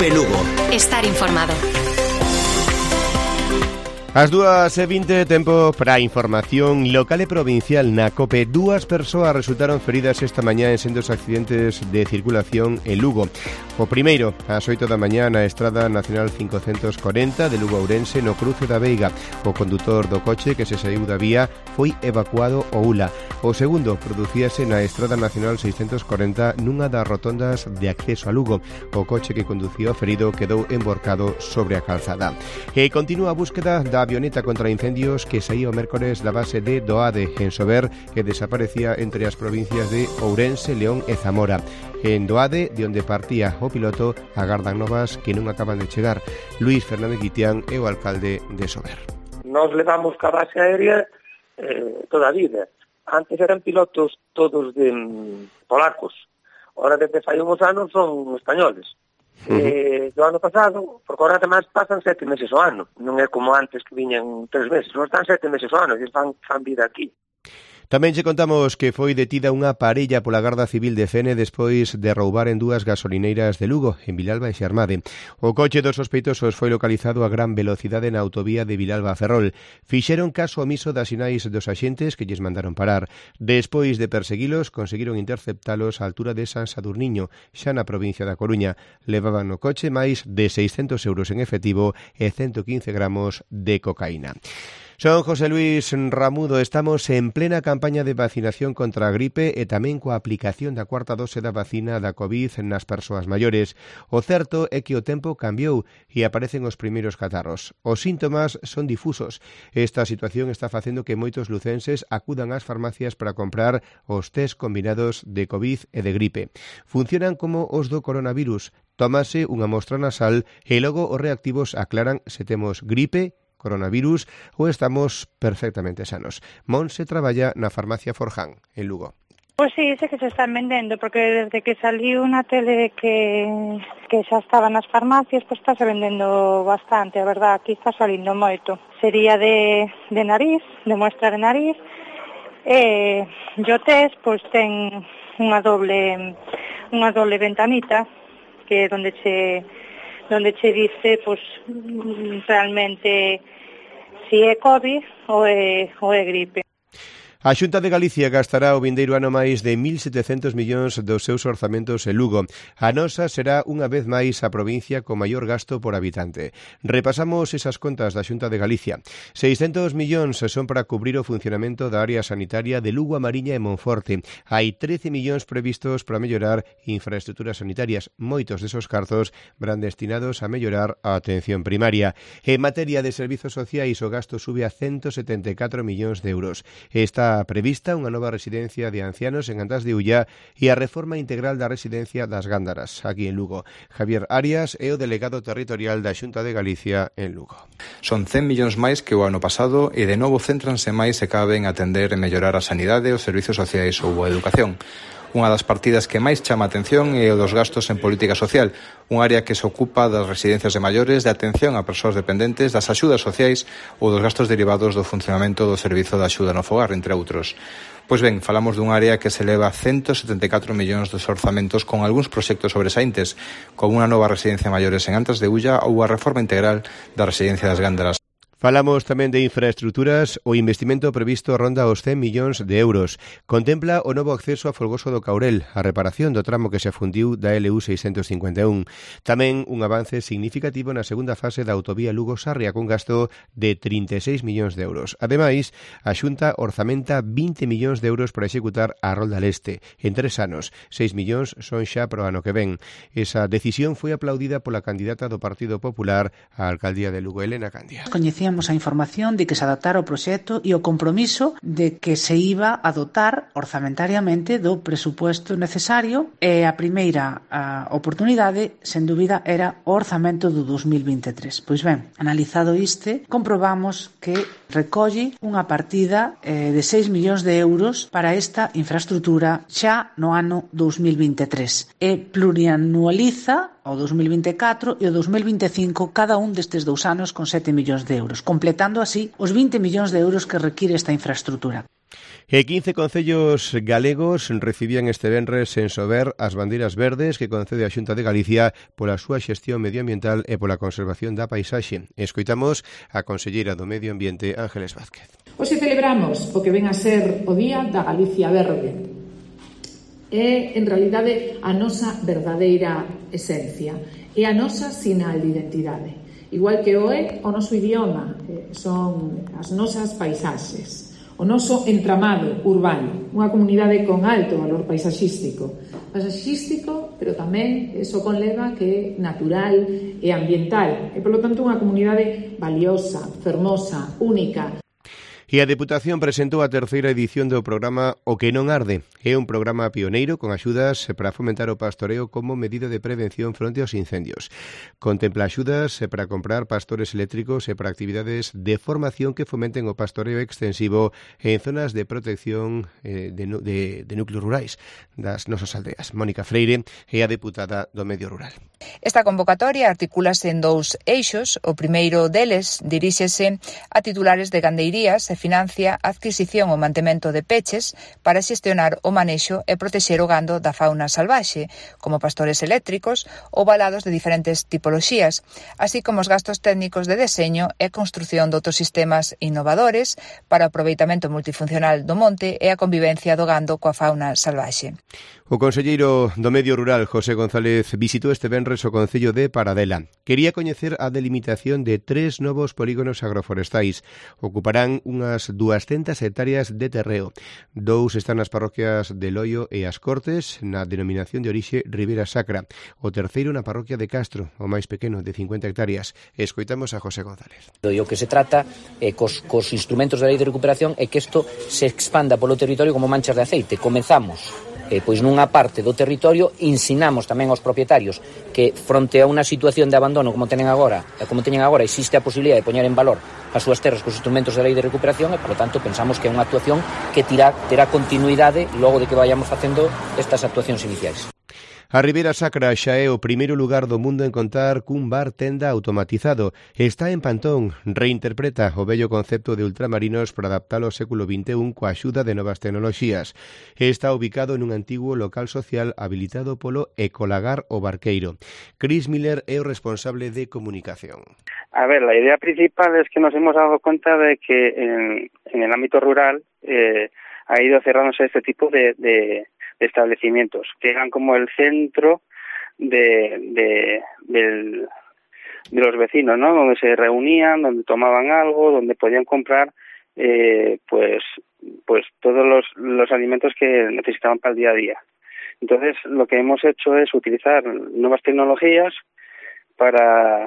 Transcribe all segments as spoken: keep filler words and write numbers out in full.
COPE Lugo. Estar informado. As dúas e vinte, tempo para a información local e provincial na COPE. Dúas persoas resultaron feridas esta mañá en sendos accidentes de circulación en Lugo. O primeiro, ás oito da mañá na Estrada Nacional quinhentos corenta de Lugo a Ourense, no cruce da Veiga. O condutor do coche que se saiu da vía foi evacuado ao U L A. O segundo producíase na Estrada Nacional seiscentos corenta nunha das rotondas de acceso a Lugo. O coche que conducía o ferido quedou emborcado sobre a calzada. E continúa a búsqueda da avioneta contra incendios que saía o mércores da base de Doade, en Sober, que desaparecía entre as provincias de Ourense, León e Zamora. En Doade, de onde partía o piloto, agardan novas que non acaban de chegar. Luís Fernández Guitián é o alcalde de Sober. Nos levamos ca base aérea eh, toda a vida. Antes eran pilotos todos de mm, polacos. Ahora, desde fai uns anos, son españoles. Uh-huh. Eh, do ano pasado, porque agora además pasan sete meses ao ano, non é como antes que viñan tres meses, non están sete meses ao ano, e fan, fan vida aquí. Tamén che contamos que foi detida unha parella pola Garda Civil de Fene despois de roubar en dúas gasolineiras de Lugo, en Vilalba e Xermade. O coche dos sospeitosos foi localizado a gran velocidade na autovía de Vilalba a Ferrol. Fixeron caso omiso das sinais dos axentes que lles mandaron parar. Despois de perseguilos, conseguiron interceptalos á altura de San Sadurniño, xa na provincia da Coruña. Levaban no coche máis de seiscentos euros en efectivo e ciento quince gramos de cocaína. Son José Luis Ramudo, estamos en plena campaña de vacinación contra a gripe e tamén coa aplicación da cuarta dose da vacina da COVID nas persoas maiores. O certo é que o tempo cambiou e aparecen os primeiros catarros. Os síntomas son difusos. Esta situación está facendo que moitos lucenses acudan ás farmacias para comprar os test combinados de COVID e de gripe. Funcionan como os do coronavirus. Tómase unha mostra nasal e logo os reactivos aclaran se temos gripe, coronavirus ou estamos perfectamente sanos. Monse traballa na farmacia Forján, en Lugo. Pois sí, sé que se están vendendo, porque desde que saliu na tele que, que xa estaba nas farmacias, pois está se vendendo bastante, a verdad, aquí está salindo moito. Sería de, de nariz, de muestra de nariz, e o test, pois ten unha doble, unha doble ventanita, que é onde che... donde che dice, pues, realmente si é COVID ou é, ou é gripe. A Xunta de Galicia gastará o vindeiro ano máis de mil setecentos millóns dos seus orzamentos en Lugo. A nosa será unha vez máis a provincia con maior gasto por habitante. Repasamos esas contas da Xunta de Galicia. seiscentos millóns son para cubrir o funcionamento da área sanitaria de Lugo, a Mariña e Monforte. Hai trece millóns previstos para mellorar infraestructuras sanitarias. Moitos desos carzos van destinados a mellorar a atención primaria. En materia de servizos sociais, o gasto sube a ciento setenta e catro millóns de euros. Está prevista unha nova residencia de ancianos en Antás de Ullá e a reforma integral da residencia das Gándaras, aquí en Lugo. Javier Arias é o delegado territorial da Xunta de Galicia en Lugo. Son cen millóns máis que o ano pasado e de novo céntranse máis se caben atender e mellorar a sanidade, os servizos sociais ou a educación. Unha das partidas que máis chama a atención é o dos gastos en política social, un área que se ocupa das residencias de maiores, de atención a persoas dependentes, das axudas sociais ou dos gastos derivados do funcionamento do servizo de axuda no fogar, entre outros. Pois ben, falamos dun área que se eleva a ciento setenta e catro millóns dos orzamentos con algúns proxectos sobresaíntes, como unha nova residencia de maiores en Antás de Ulla ou a reforma integral da residencia das Gándaras. Falamos tamén de infraestructuras. O investimento previsto ronda os cen millóns de euros. Contempla o novo acceso a Folgoso do Caurel, a reparación do tramo que se afundiu da L U seiscentos cincuenta e un. Tamén un avance significativo na segunda fase da autovía Lugo-Sarria, con gasto de trinta e seis millóns de euros. Ademais, a Xunta orzamenta vinte millóns de euros para executar a Rolda Leste. En tres anos, seis millóns son xa pro ano que ven. Esa decisión foi aplaudida pola candidata do Partido Popular á alcaldía de Lugo, Elena Candia. Coñecíamos a información de que se adaptara o proxecto e o compromiso de que se iba a dotar orzamentariamente do presupuesto necesario, e a primeira a oportunidade, sen dúbida, era o orzamento do dos mil vinte e tres. Pois ben, analizado este, comprobamos que recolle unha partida eh, de seis millóns de euros para esta infraestructura xa no ano dos mil vinte e tres e plurianualiza o dos mil vinte e catro e o dos mil vinte e cinco cada un destes dous anos con sete millóns de euros, completando así os vinte millóns de euros que require esta infraestructura. E quince concellos galegos recibían este venres en Sober as bandeiras verdes que concede a Xunta de Galicia pola súa xestión medioambiental e pola conservación da paisaxe. Escoitamos a conselleira do Medio Ambiente, Ángeles Vázquez. Hoxe celebramos o que ven a ser o Día da Galicia Verde. É, en realidade, a nosa verdadeira esencia. É a nosa sinal de identidade. Igual que o é o noso idioma, son as nosas paisaxes. O noso entramado urbano, unha comunidade con alto valor paisaxístico. Paisaxístico, pero tamén eso conleva que é natural e ambiental. E, polo tanto, unha comunidade valiosa, fermosa, única. E a Deputación presentou a terceira edición do programa O que non arde. É un programa pioneiro con axudas para fomentar o pastoreo como medida de prevención fronte aos incendios. Contempla axudas para comprar pastores eléctricos e para actividades de formación que fomenten o pastoreo extensivo en zonas de protección eh, de, de, de núcleos rurais das nosas aldeas. Mónica Freire é a deputada do Medio Rural. Esta convocatoria articúlase en dous eixos. O primeiro deles diríxese a titulares de gandeirías e financia a adquisición ou mantemento de peches para xestionar o manexo e protexer o gando da fauna salvaxe, como pastores eléctricos ou valados de diferentes tipoloxías, así como os gastos técnicos de deseño e construción de outros sistemas innovadores para o aproveitamento multifuncional do monte e a convivencia do gando coa fauna salvaxe. O conselleiro do Medio Rural, José González, visitou este venres o concello de Paradela. Quería coñecer a delimitación de tres novos polígonos agroforestais. Ocuparán unhas duascentas hectáreas de terreo. Dous están nas parroquias de Loio e As Cortes, na denominación de orixe Ribeira Sacra. O terceiro na parroquia de Castro, o máis pequeno, de cincuenta hectáreas. Escoitamos a José González. E o que se trata eh, cos, cos instrumentos da lei de recuperación é que isto se expanda polo territorio como manchas de aceite. Comezamos Eh, pois nunha parte do territorio, ensinamos tamén aos propietarios que fronte a unha situación de abandono como tenen agora, e como teñen agora, existe a posibilidad de poñer en valor as súas terras cos instrumentos da lei de recuperación e, por lo tanto, pensamos que é unha actuación que tirá, terá continuidade logo de que vayamos facendo estas actuacións iniciais. A Ribeira Sacra xa é o primeiro lugar do mundo en contar cun bar tenda automatizado. Está en Pantón, reinterpreta o vello concepto de ultramarinos para adaptalo ao século vinte e un coa axuda de novas tecnoloxías. Está ubicado en un antigo local social habilitado polo Ecolagar o Barqueiro. Chris Miller é o responsable de comunicación. A ver, la idea principal es que nos hemos dado cuenta de que en, en el ámbito rural eh, ha ido cerrándose este tipo de... de establecimientos que eran como el centro de, de, del, de los vecinos, ¿no? Donde se reunían, donde tomaban algo, donde podían comprar eh, pues pues todos los, los alimentos que necesitaban para el día a día. Entonces, lo que hemos hecho es utilizar nuevas tecnologías para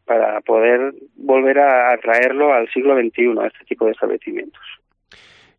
para poder volver a traerlo al siglo veintiuno, a este tipo de establecimientos.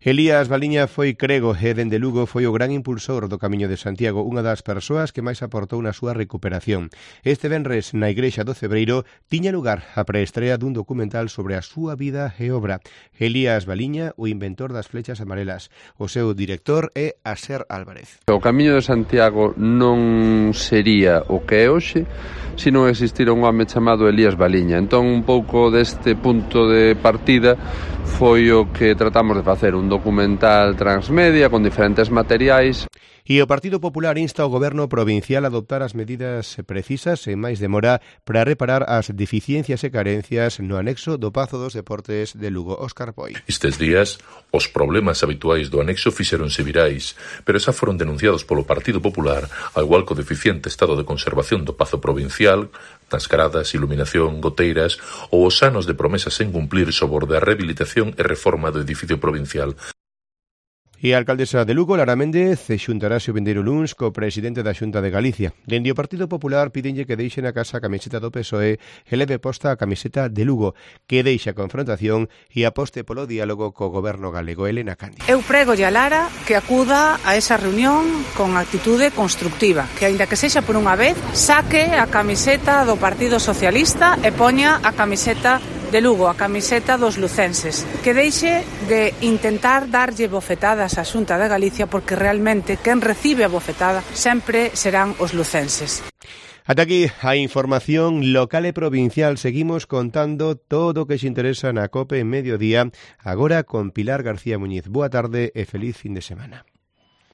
Elías Baliña foi crego e dende Lugo foi o gran impulsor do Camiño de Santiago, unha das persoas que máis aportou na súa recuperación. Este venres na Igrexa do Cebreiro tiña lugar a preestrea dun documental sobre a súa vida e obra. Elías Baliña, o inventor das flechas amarelas. O seu director é Aser Álvarez. O Camiño de Santiago non sería o que é hoxe se non existira un home chamado Elías Baliña. Entón, un pouco deste punto de partida foi o que tratamos de facer, un documental transmedia con diferentes materiais. E o Partido Popular insta ao Goberno provincial a adoptar as medidas precisas e máis demora para reparar as deficiencias e carencias no anexo do Pazo dos Deportes de Lugo. Óscar Poi. Estes días, os problemas habituais do anexo fixeronse virais, pero xa foron denunciados polo Partido Popular, ao igual co deficiente estado de conservación do Pazo Provincial, nas gradas, iluminación, goteiras ou os anos de promesas sen cumplir sobre a rehabilitación e reforma do edificio provincial. E a alcaldesa de Lugo, Lara Méndez, xuntarase o vindeiro luns co presidente da Xunta de Galicia. Dende o Partido Popular pídenlle que deixe na casa a camiseta do P S O E e leve posta a camiseta de Lugo, que deixe a confrontación e aposte polo diálogo co goberno galego. Elena Cándido. Eu prégolle a Lara que acuda a esa reunión con actitude constructiva, que aínda que sexa por unha vez, saque a camiseta do Partido Socialista e poña a camiseta de Lugo, a camiseta dos lucenses, que deixe de intentar darlle bofetadas á Xunta de Galicia, porque realmente quen recibe a bofetada sempre serán os lucenses. Ata aquí a información local e provincial. Seguimos contando todo o que se interesa na COPE en Mediodía, agora con Pilar García Muñiz. Boa tarde e feliz fin de semana.